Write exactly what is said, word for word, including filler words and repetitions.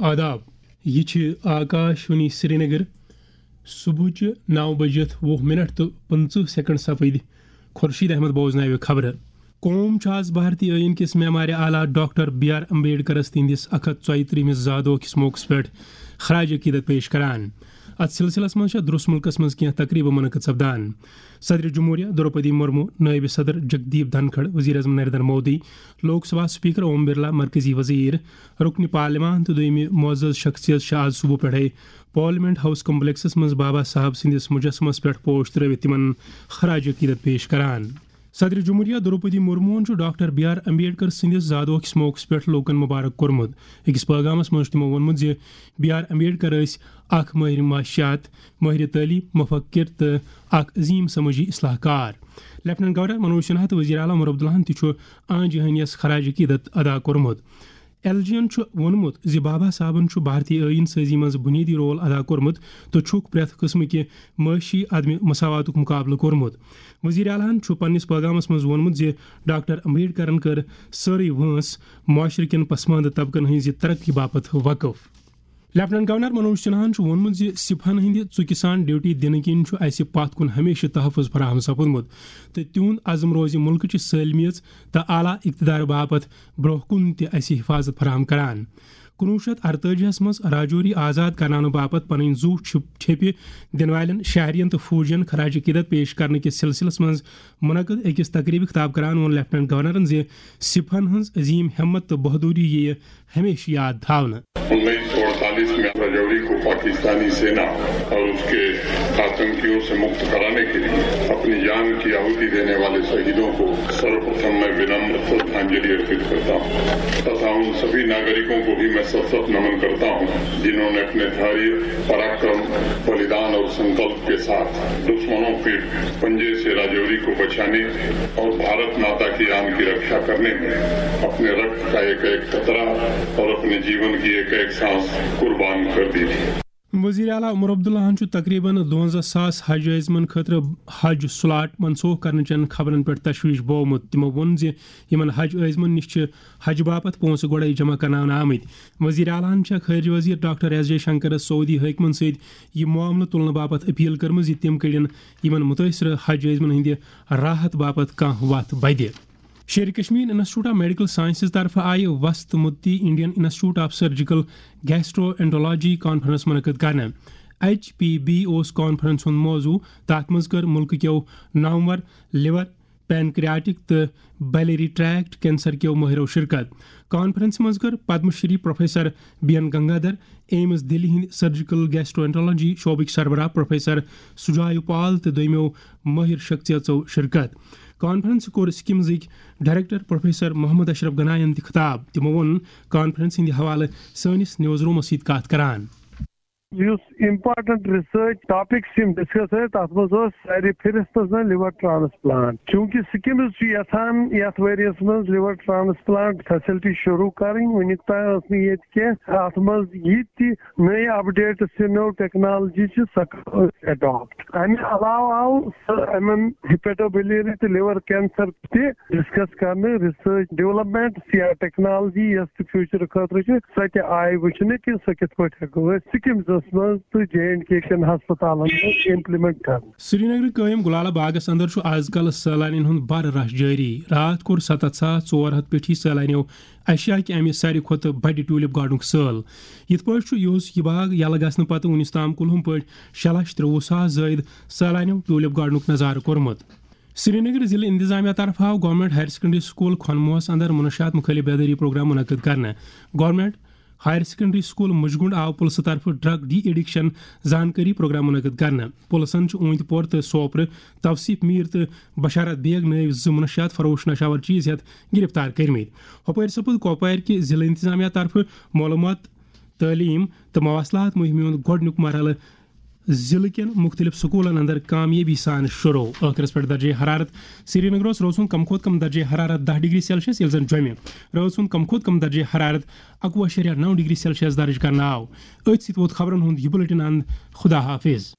آداب، یہِ چھِ آکاش وانی سرینگر۔ صبحٕچہِ نَو بجِتھ وُہ منٹ تہٕ پٕنٛژٕہ سیکنڈ سپٕدۍ۔ خورشید احمد بوزناوِ خبرٕ۔ قوم چھُ آز بھارتی ٲییٖن کِس معمارِ اعلیٰ ڈاکٹر بی آر امبیڈکرس تِہنٛدِس اکھ ہتھ ژۄیہِ ترٛہمِس زادوہ کِس موقعس پٮ۪ٹھ خراج عقیدت پیش کران۔ اتھ سلسلس منٛز چھےٚ درست مُلکس منٛز کینٛہہ تقریبہٕ منعقد سپدان۔ صدر جمہوریہ دروپدی مرمو، نائب صدر جگدیپ دھنکھڑ، وزیر اعظم نریندر مودی، لوک سبھا سپیکر اوم برلا، مرکزی وزیر، رکن پارلیمان تہٕ دوٚیمہِ معزز شخصیت چھِ آز صبح پٮ۪ٹھے پارلیمنٹ ہاؤس کمپلیکسس منٛز بابا صاحب سٕنٛدِس مجسمس پٮ۪ٹھ پوش ترٲوِتھ تِمن خراج عقیدت پیش کران۔ صدر جمہوریہ دروپدی مرموہن چھُ ڈاکٹر بی آر امبیڈکر سٕنٛدِس زادوہ کِس موقعس پٮ۪ٹھ لوٗکن مبارک کوٚرمُت۔ أکِس پٲغامس منٛز چھُ تِمو ووٚنمُت زِ بی آر امبیڈکر ٲسۍ اکھ مٲہِر معاشیات، مٲہِرِ تعلیٖم، مفکر تہٕ اکھ عظیٖم سمٲجی اصلاح کار۔ لیفٹیننٹ گورنر منوج سنہا تہٕ وزیر اعلیٰ عمر عبداللہن تہِ چھُ آن جہانیس خراج عقیدت ادا کوٚرمُت۔ ایل جی ین چھُ ووٚنمُت زِ بابا صاحبن چھُ بھارتی ٲییٖن سٲزی منٛز بُنیٲدی رول ادا کوٚرمُت تہٕ چھُکھ پرٛٮ۪تھ قٕسمٕکہِ معاشی عدم مساواتُک مقابلہٕ کوٚرمُت۔ وزیر اعلیٰ ہن چھُ پننِس پٲغامس منٛز ووٚنمُت زِ ڈاکٹر امبیڈکرن کٔر سٲرٕے وٲنٛس معاشرٕ کٮ۪ن پسماندٕ طبقن ہٕنٛزِ ترقی باپتھ وقف۔ لیفٹیننٹ گورنر منوج سنہاہن چھُ ووٚنمُت زِ سِپاہن ہٕنٛدِ ژُکہِ سان ڈیوٹی دِنہٕ کِنۍ چھُ اَسہِ پتھ کُن ہمیشہٕ تحفظ فراہم سپُدمُت تہٕ تِہُنٛد عزم روزِ مُلکٕچہِ سٲلمیت تہٕ اعلیٰ اقتدار باپتھ برٛونٛہہ کُن تہِ اَسہِ حفاظت فراہم کران۔ کُنوُہ شیٚتھ اَرتٲجی ہَس منٛز راجوری آزاد کرناونہٕ باپتھ پنٕنۍ زُو چھِ-، ٹھیپہِ دِنہٕ والٮ۪ن شہرین تہٕ فوجین خراج عقیدت پیش کرنہٕ کِس سلسلس منٛز منعقد أکِس تقریبہِ خطاب کران ووٚن لیفٹیننٹ گورنرن زِ سِپاہن ہٕنٛز عظیٖم ہمت تہٕ بہادری یِیہِ ہمیشہٕ یاد تھاونہٕ۔ انیس سو اڑتالیس میں رجوری کو پاکستانی سینا اور اس کے آتنکیوں سے مکت کرانے کے لیے اپنی جان کی آہوتی دینے والے شہیدوں کو سروپرتھم میں ونمر شردھانجلی ارپت کرتا ہوں تथा उन सभी नागरिकों को भी मैं सशक्त नमन करता हूँ, जिन्होंने अपने धैर्य, पराक्रम, बलिदान और संकल्प के साथ दुश्मनों के पंजे से राजौरी को बचाने और भारत माता की आन की रक्षा करने में अपने रक्त का एक एक कतरा और अपने जीवन की एक एक सांस कुर्बान कर दी थी। وزیر اعلیٰ عمر عبداللہن چھُ تقریباً دُوَنزاہ ساس حج عٲزمن خٲطرٕ حج سلاٹ منسوخ کرنہٕ چٮ۪ن خبرن پٮ۪ٹھ تشویش بوومُت۔ تِمو ووٚن زِ یِمن حج عٲزمن نِش چھِ حج باپتھ پونٛسہٕ گۄڈَے جمع کرناونہٕ آمٕتۍ۔ وزیر اعلیٰ ہن چھےٚ خارجہ وزیر ڈاکٹر ایس جے شنکرس سعودی حٲکمن سۭتۍ یہِ معاملہٕ تُلنہٕ باپتھ اپیل کٔرمٕژ زِ تِم کٔڑِن یِمن مُتٲثرٕ حج عٲزمن ہٕنٛدِ راحت باپتھ کانٛہہ وتھ بدِ۔ Sher-e Kashmir institute of medical sciences طرفہٕ آیہِ وسط مدتی Indian institute of surgical gastroenterology conference منعقد کرنہٕ۔ ایچ پی بی اوس کانفرنس ہُنٛد موضوع۔ تَتھ منٛز کٔر مُلکہٕ کیو نامور لیور، پینکریاٹک تہٕ بائیلری ٹریکٹ کینسر کیو مٲہرو شرکت۔ کانفرنسہِ منٛز کٔر Padma Shri professor B N Gangadhar, AIIMS Delhi ہٕنٛدۍ سرجیکل گیسٹرو انٹرولوجی شعبٕکۍ سربراہ پروفیسر سجایو پال تہٕ دوٚیمو مٲہر شخصیژو شرکت۔ کانفرنسہِ کوٚر سکمزٕکۍ ڈائریکٹر پروفیسر محمد اشرف گناین تہِ خطاب۔ تِمو ووٚن کانفرنس ہٕنٛدِ حوالہٕ سٲنِس نیوز رومس سۭتۍ کتھ کران۔ یُس امپارٹنٹ ریسرچ ٹاپکس یِم ڈسکس ٲسۍ، تتھ منٛز اوس سارِ فہرستس منٛز لیور ٹرانسپلانٹ۔ چونکہ سکمز چھُ یژھان یتھ ؤریس منٛز لیور ٹرانسپلانٹ فیسلٹی شروع کرٕنۍ، وُنیُک تام ٲس نہٕ ییٚتہِ کینٛہہ۔ اتھ منٛز یہِ تہِ نٔے اپڈیٹس تہٕ نٔو ٹیکنالوجی چھِ، سۄ کرو أسۍ اڈاپٹ۔ امہِ علاوٕ آو سُہ یِمن ہیپیٹوبیلری تہٕ لیور کینسر تہِ ڈسکس کرنہٕ، ریسرچ ڈیولپمنٹ یا ٹیکنالوجی یۄس تہِ فیوچر خٲطرٕ چھِ، سۄ تہِ آیہِ وٕچھنہٕ کہِ سۄ کِتھ پٲٹھۍ ہٮ۪کو أسۍ سکمزس منٛز تہٕ جے اینڈ کے کٮ۪ن ہسپتالن منٛز امپلیمنٹ کرنہٕ۔ سرینگرٕ قٲیِم گلالہ باغس اندر چھُ آز کل سٲلانین ہُنٛد بر رش جٲری۔ راتھ کوٚر ستتھ ساس ژور ہتھ پیٹھی سٲلانیو ایشیا کہِ امہِ ساروی کھۄتہٕ بڑِ ٹیولپ گارڈنُک سٲل۔ یِتھ پٲٹھۍ چھُ یُہُس یہِ باغ یلہٕ گژھنہٕ پتہٕ وُنیُس تام کُلہُم پٲٹھۍ شےٚ لچھ ترٛوٚوُہ ساس زٲیِد سٲلانیو ٹیولپ گارڈنُک نظارٕ کوٚرمُت۔ سرینگر ضلع انتظامیہ طرفہٕ آو گورنمنٹ ہائر سیکنڈری سکول کھنموہس اندر منشیات مخالف بیداری پروگرام منعقد کرنہٕ۔ گورنمنٹ ہائر سیکنڈری سکول مجگنڈ آو پُلسہٕ طرفہٕ ڈرگ ڈی ایڈکشن زانکٲری پروگرام منعقد کرنہٕ۔ پُلسن چھُ اوٗنتۍ پور تہٕ سوپرٕ توصیف میر تہٕ بشارت بیگ نٲوۍ زٕ منشیات فروش نشاور چیز ہیتھ گرفتار کٔرمٕتۍ۔ ہۄپٲرۍ سپُد کۄپوارِ کہِ ضلع انتظامیہ طرفہٕ معلومات، تعلیٖم تہٕ مواصلات مُہِمہِ ہُنٛد گۄڈٕنیُک مرحلہٕ ضلعہٕ کٮ۪ن مُختٔلِف سکوٗلن اندر کامیٲبی سان شروع۔ ٲخرس پٮ۪ٹھ درجہ حرارت۔ سرینگرس روزُن کم کھۄتہٕ کم درجہ حرارت دَہ ڈگری سیلسیس، ییٚلہِ زن جوٚمہِ روزُن کم کھۄتہٕ کم درجہ حرارت اَکوُہ اَشاریہ نَو ڈگری سیلسیس درج کرنہٕ آو۔ أتھۍ سۭتۍ ووت خبرن ہُنٛد یہِ بُلٹن اند۔ خدا حافظ۔